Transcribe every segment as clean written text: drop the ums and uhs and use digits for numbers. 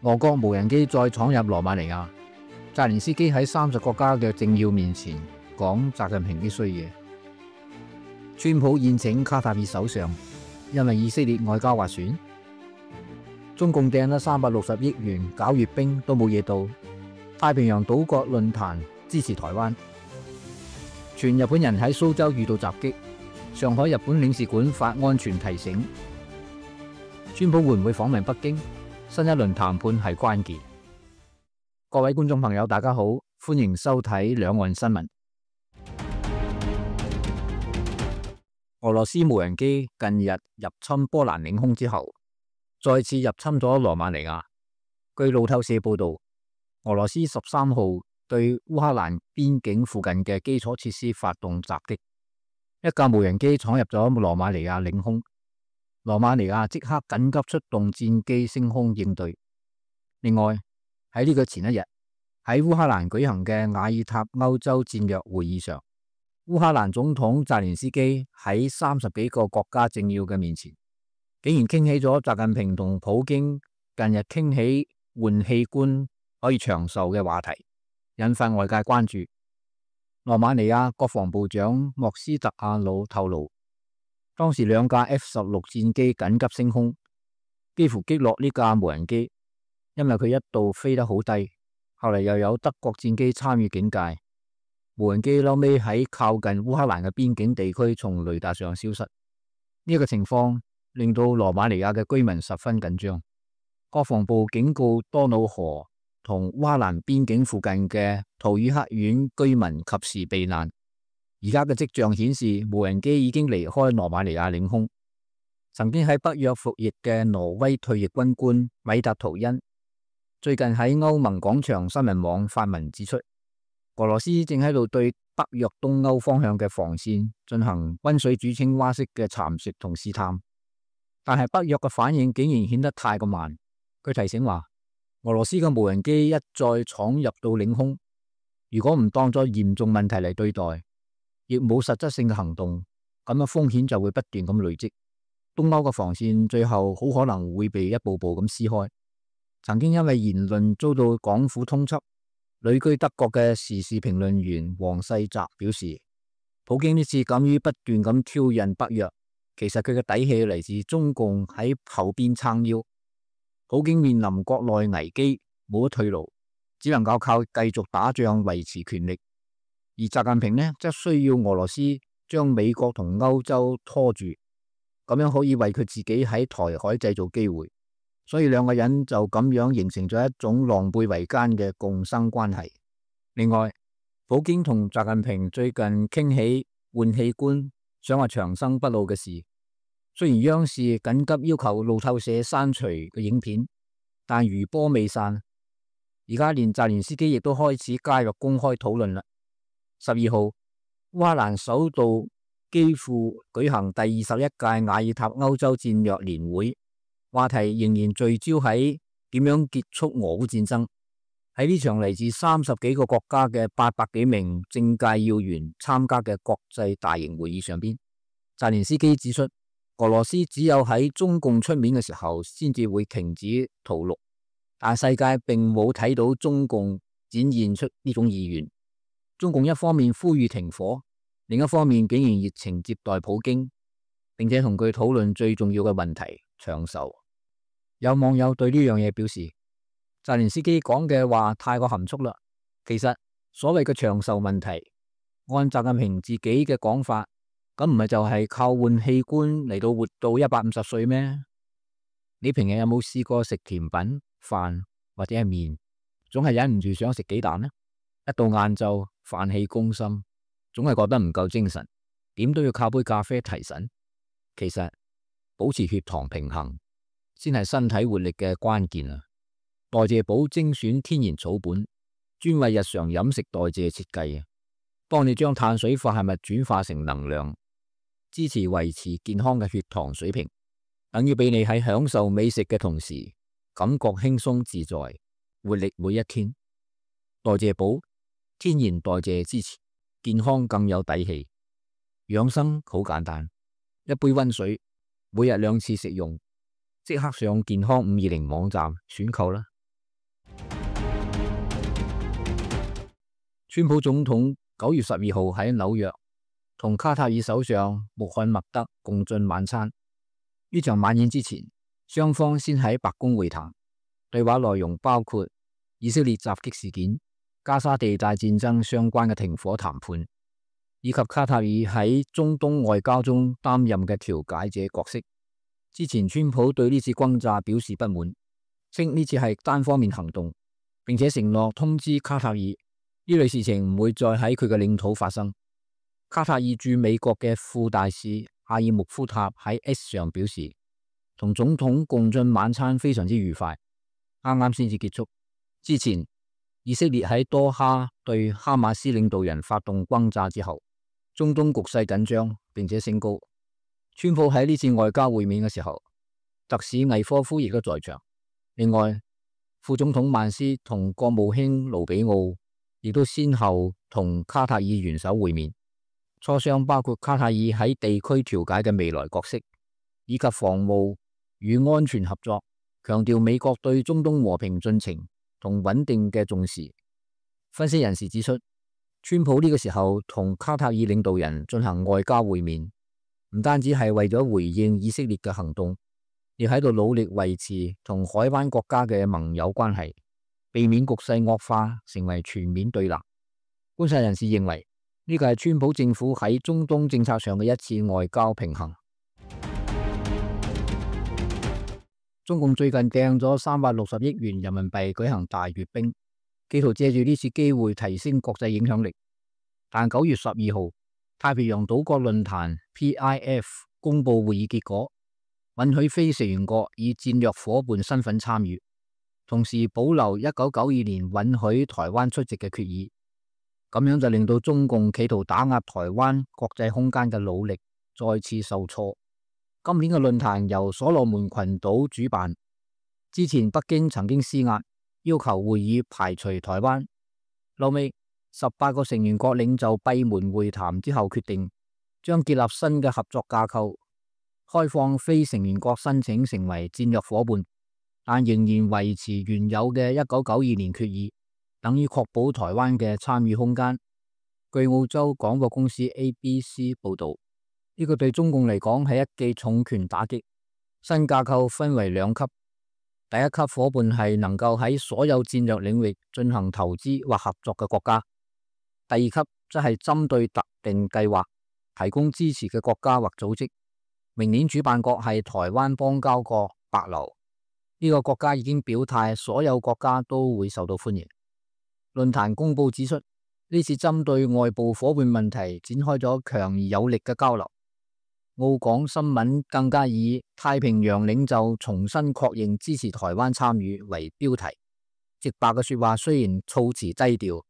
俄國無人機再闖入羅馬尼亞，澤連斯基喺30國家嘅政要面前講習近平啲衰嘢。川普宴請卡塔爾首相，因為以色列外交斡旋。中共掟咗360億元搞閱兵都冇嘢到。太平洋島國論壇支持台灣。全日本人喺蘇州遇到襲擊，上海日本領事館發安全提醒。川普會唔會訪問北京？新一輪談判係關鍵。各位觀眾朋友，大家好，歡迎收睇兩岸新聞。俄羅斯無人機近日入侵波蘭領空之後，再次入侵咗羅馬尼亞。據路透社報道，俄羅斯13號對烏克蘭邊境附近嘅基礎設施發動襲擊，一架無人機闖入咗羅馬尼亞領空。羅馬尼亞即刻緊急出動戰機升空應對。另外喺呢個前一日，喺烏克蘭舉行嘅瓦爾塔歐洲戰略會議上，烏克蘭總統澤連斯基喺30幾個國家政要嘅面前，竟然傾起咗習近平同普京近日傾起換器官可以長壽嘅話題，引發外界關注。羅馬尼亞國防部長莫斯特亞魯透露，當時2架 F-16 戰機緊急升空，幾乎擊落呢架無人機，因為佢一度飛得好低。後嚟又有德國戰機參與警戒，無人機後尾喺靠近烏克蘭嘅邊境地區從雷達上消失。呢個情況令到羅馬尼亞嘅居民十分緊張。國防部警告多瑙河同烏克蘭邊境附近嘅圖爾克縣居民及時避難。而家嘅跡象顯示，無人機已經離開羅馬尼亞領空。曾經喺北約服役嘅挪威退役軍官米特圖恩最近喺歐盟廣場新聞網發文指出，俄羅斯正喺度對北約東歐方向嘅防線進行溫水煮青蛙式嘅蠶食同試探，但係北約嘅反應竟然顯得太過慢。佢提醒話，俄羅斯嘅無人機一再闖入到領空，如果唔當作嚴重問題嚟對待，亦冇實質性嘅行動，咁嘅風險就會不斷咁累積，東歐嘅防線最後好可能會被一步步咁撕開。曾經因為言論遭到港府通緝，旅居德國嘅時事評論員黃世澤表示，普京呢次敢於不斷咁挑釁北約，其實佢嘅底氣嚟自中共喺後邊撐腰。普京面臨國內危機，冇得退路，只能夠靠繼續打仗維持權力。而習近平呢，則需要俄羅斯將美國同歐洲拖住，咁樣可以為佢自己喺台海製造機會。所以兩個人就咁樣形成咗一種狼狽為奸嘅共生關係。另外，普京同習近平最近傾起換器官，想話長生不老嘅事。雖然央視緊急要求路透社刪除嘅影片，但餘波未散。而家連澤連斯基亦都開始加入公開討論啦。12號，烏克蘭首度基輔舉行第21屆瓦爾塔歐洲戰略年會，話題仍然聚焦喺點樣結束俄烏戰爭。喺呢場嚟自30幾個國家嘅800幾名政界要員參加嘅國際大型會議上邊，澤連斯基指出，俄羅斯只有喺中共出面嘅時候先至會停止屠戮，但世界並冇睇到中共展現出呢種意願。中共一方面呼籲停火，另一方面竟然熱情接待普京，並且同佢討論最重要嘅問題長壽。有網友對呢樣嘢表示，澤連斯基講嘅話太過含蓄啦。其實所謂嘅長壽問題，按習近平自己嘅講法，咁唔係就係靠換器官嚟到活到150歲咩？你平日有冇試過食甜品、飯或者係麵，總係忍唔住想食雞蛋呢？一到晏晝飯氣攻心，總係覺得唔夠精神，點都要靠杯咖啡提神。其實保持血糖平衡先係身體活力嘅關鍵啊！代謝寶精選天然草本，專為日常飲食代謝設計，幫你將碳水化合物轉化成能量，支持維持健康嘅血糖水平，等於俾你喺享受美食嘅同時，感覺輕鬆自在，活力每一天。代謝寶天然代謝支持，健康更有底氣。養生好簡單，一杯溫水，每日2次食用，即刻上健康520網站選購啦。川普總統9月12號喺紐約同卡塔爾首相穆罕默德共進晚餐。呢場晚宴之前，雙方先喺白宮會談，對話內容包括以色列襲擊事件、加沙地帶戰爭相關嘅停火談判，以及卡塔爾喺中東外交中擔任嘅調解者角色。之前川普對呢次轟炸表示不滿，稱呢次係單方面行動，並且承諾通知卡塔爾呢類事情唔會再喺佢嘅領土發生。卡塔爾駐美國嘅副大使阿爾穆夫塔喺 X 上表示，同總統共進晚餐非常之愉快，啱啱先至結束。之前以色列喺多哈對哈馬斯領導人發動轟炸之後，中東局勢緊張並且升高。川普喺呢次外交會面嘅時候，特使魏科夫亦都在場。另外，副總統曼斯同國務卿盧比奧亦都先後同卡塔爾元首會面，磋商包括卡塔爾喺地區調解嘅未來角色，以及防務與安全合作，強調美國對中東和平進程同穩定嘅重視。分析人士指出，川普呢個時候同卡塔爾領導人進行外交會面，唔單止係為咗回應以色列嘅行動，亦喺度努力維持同海灣國家嘅盟友關係，避免局勢惡化成為全面對立。觀察人士認為，呢個係川普政府喺中東政策上嘅一次外交平衡。中共最近掟咗360億元人民幣舉行大閱兵，企圖借住呢次機會提升國際影響力。但9月12號，太平洋島國論壇 PIF 公布會議結果，允許非成員國以戰略夥伴身份參與，同時保留1992年允許台灣出席嘅決議。咁樣就令到中共企圖打壓台灣國際空間嘅努力再次受挫。今年嘅論壇由所羅門群島主辦，之前北京曾經施壓，要求會議排除台灣。後尾18個成員國領袖閉門會談之後，決定將建立新嘅合作架構，開放非成員國申請成為戰略夥伴，但仍然維持原有嘅1992年決議，等於確保台灣嘅參與空間。據澳洲廣播公司 ABC 報道，呢個對中共嚟講係一記重拳打擊。新架構分為2級，第一級夥伴係能夠喺所有戰略領域進行投資或合作嘅國家，第二級則係針對特定計劃提供支持嘅國家或組織。明年主辦國係台灣邦交國帛琉，呢個國家已經表態，所有國家都會受到歡迎。論壇公報指出，呢次針對外部夥伴問題展開咗強而有力嘅交流。澳廣新聞更加以太平洋領袖重新確認支持台灣參與為標題，直白嘅說話雖然措辭低調，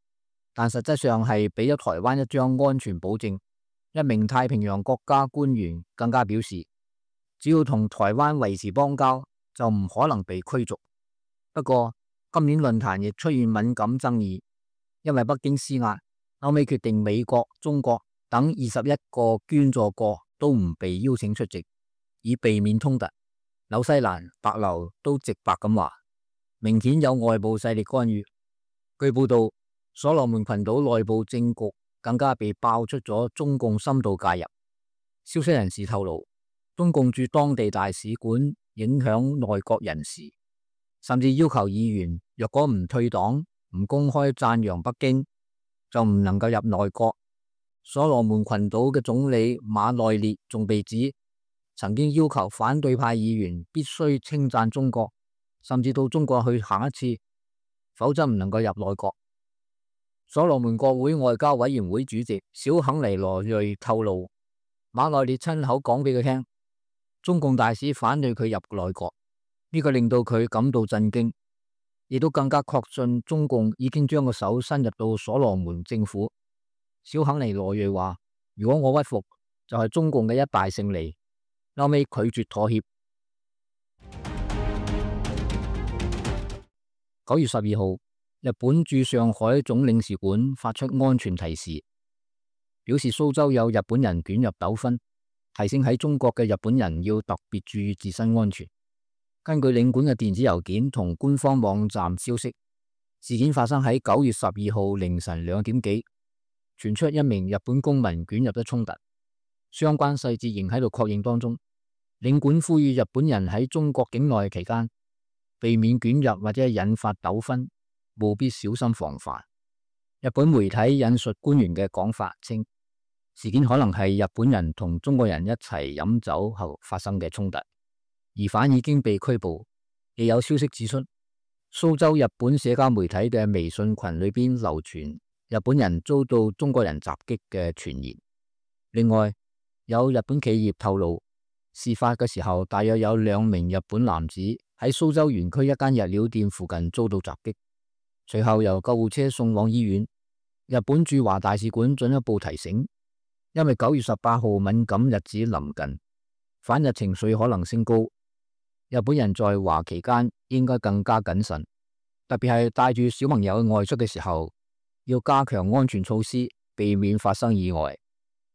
但實質上係俾咗台灣一張安全保證。一名太平洋國家官員更加表示，只要同台灣維持邦交，就唔可能被驅逐。不過今年論壇亦出現敏感爭議，因為北京施壓，後尾決定美國、中國等21個捐助國都唔被邀請出席，以避免衝突。紐西蘭、帛琉都直白咁話，明顯有外部勢力干預。據報道，所羅門群島內部政局更加被爆出咗中共深度介入。消息人士透露，中共駐當地大使館影響內閣人士，甚至要求議員若果唔退黨、唔公開讚揚北京，就唔能夠入內閣。所羅門群島嘅總理馬內列仲被指曾經要求反對派議員必須稱讚中國，甚至到中國去行一次，否則唔能夠入內閣。所羅門國會外交委員會主席小肯尼羅瑞透露，馬內列親口講俾佢聽，中共大使反對佢入內閣，呢個令到佢感到震驚，亦都更加確信中共已經將個手伸入到所羅門政府。小肯尼羅瑞話，如果我屈服，就係中共嘅一大勝利。後尾拒絕妥協。9月12號，日本駐上海總領事館發出安全提示，表示蘇州有日本人捲入糾紛，提醒喺中國嘅日本人要特別注意自身安全。根據領館嘅電子郵件同官方網站消息，事件發生喺9月12號凌晨2點幾，傳出一名日本公民捲入咗衝突，相關細節仍喺度確認當中。領館呼籲日本人喺中國境內期間，避免捲入或者引發糾紛，務必小心防範。日本媒體引述官員嘅講法稱，事件可能係日本人同中國人一齊飲酒後發生嘅衝突，疑犯已經被拘捕。亦有消息指出，蘇州日本社交媒體嘅微信群裏邊流傳日本人遭到中國人襲擊嘅傳言。另外，有日本企業透露，事發嘅時候大約有2名日本男子喺蘇州園區一間日料店附近遭到襲擊，隨後由救護車送往醫院。日本駐華大使館進一步提醒，因為9月18號敏感日子臨近，反日情緒可能升高，日本人在華期間應該更加謹慎，特別係帶住小朋友外出嘅時候，要加強安全措施，避免發生意外。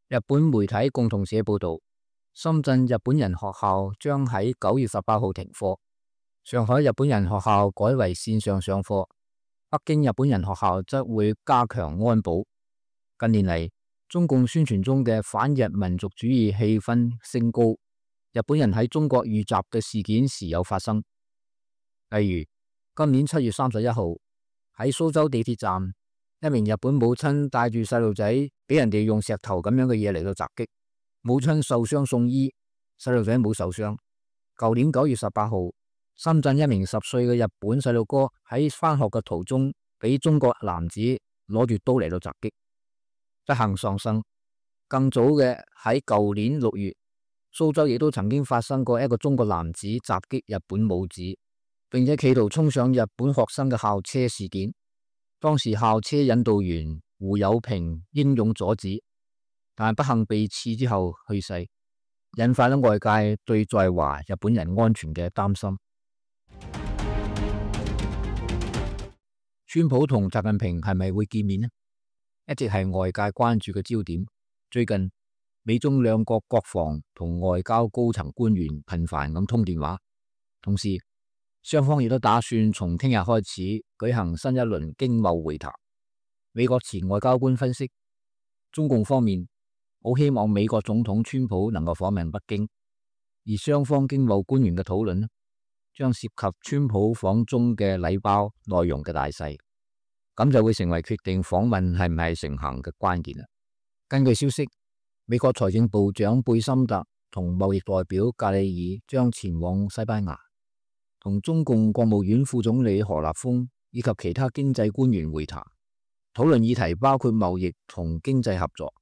日本媒體共同社報道，深圳日本人學校將喺9月18號停課，上海日本人學校改為線上上課，北京日本人學校則會加強安保。近年嚟，中共宣傳中嘅反日民族主義氣氛升高，日本人喺中國遇襲嘅事件時有發生。例如，今年7月31號喺蘇州地鐵站，一名日本母親帶住細路仔，俾人哋用石頭咁樣嘅嘢嚟到襲擊，母親受傷送醫，細路仔冇受傷。舊年9月18號，深圳一名10歲嘅日本細路哥喺返學嘅途中，俾中國男子攞住刀嚟到襲擊，不幸喪生。更早嘅喺舊年6月，蘇州亦都曾經發生過一個中國男子襲擊日本母子，並且企圖衝上日本學生嘅校車事件。當時校車引導員胡友平英勇阻止，但不幸被刺之後去世，引發咗外界對在華日本人安全嘅擔心。川普同習近平係咪會見面呢？一直係外界關注嘅焦點。最近美中兩國國防同外交高層官員頻繁咁通電話，同時雙方亦都打算從聽日開始舉行新一輪經貿會談。美國前外交官分析，中共方面好希望美國總統川普能夠訪問北京，而雙方經貿官員嘅討論將涉及川普訪中嘅禮包內容嘅大細，咁就會成為決定訪問係唔係成行嘅關鍵啦。根據消息，美國財政部長貝森特同貿易代表格里爾將前往西班牙，同中共國務院副總理何立峰以及其他經濟官員會談，討論議題包括貿易同經濟合作，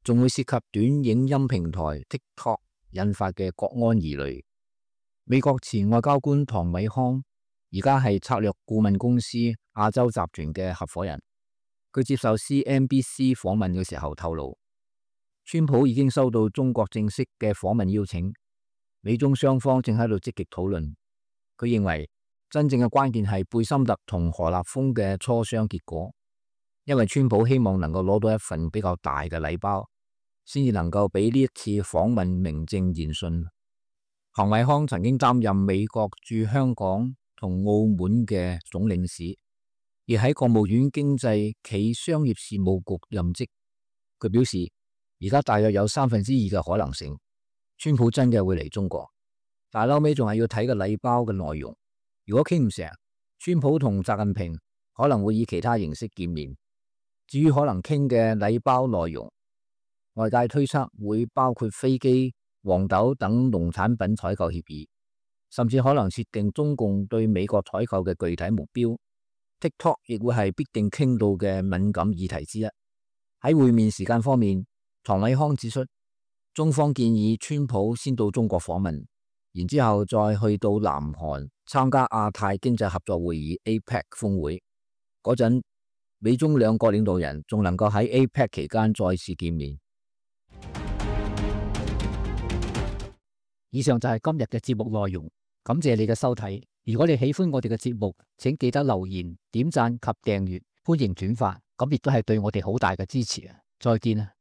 仲會涉及短影音平台 TikTok 引發嘅國安疑慮。美國前外交官唐偉康而家係策略顧問公司亞洲集團嘅合夥人，佢接受 CNBC 訪問嘅時候透露，川普已經收到中國正式嘅訪問邀請，美中雙方正喺度積極討論。佢認為真正嘅關鍵係貝森特同何立峰嘅磋商結果，因為川普希望能夠攞到一份比較大嘅禮包，先至能夠俾呢一次訪問名正言順。唐偉康曾經擔任美國駐香港同澳門嘅總領事，而喺國務院經濟暨商業事務局任職。佢表示，而家大約有2/3嘅可能性，川普真嘅會嚟中國，但係後尾仲係要睇個禮包嘅內容。如果傾唔成，川普同習近平可能會以其他形式見面。至於可能傾嘅禮包內容，外界推測會包括飛機、黃豆等農產品採購協議，甚至可能設定中共對美國採購嘅具體目標。TikTok 亦會係必定傾到嘅敏感議題之一。喺會面時間方面，唐偉康指出，中方建議川普先到中國訪問，然之後再去到南韓參加亞太經濟合作會議 APEC 峰會嗰陣，美中兩國領導人仲能夠喺 APEC 期間再次見面。以上就係今日嘅節目內容，感謝你嘅收睇。如果你喜歡我哋嘅節目，請記得留言、點讚及訂閱，歡迎轉發，咁亦都係對我哋好大嘅支持啊！再見啊！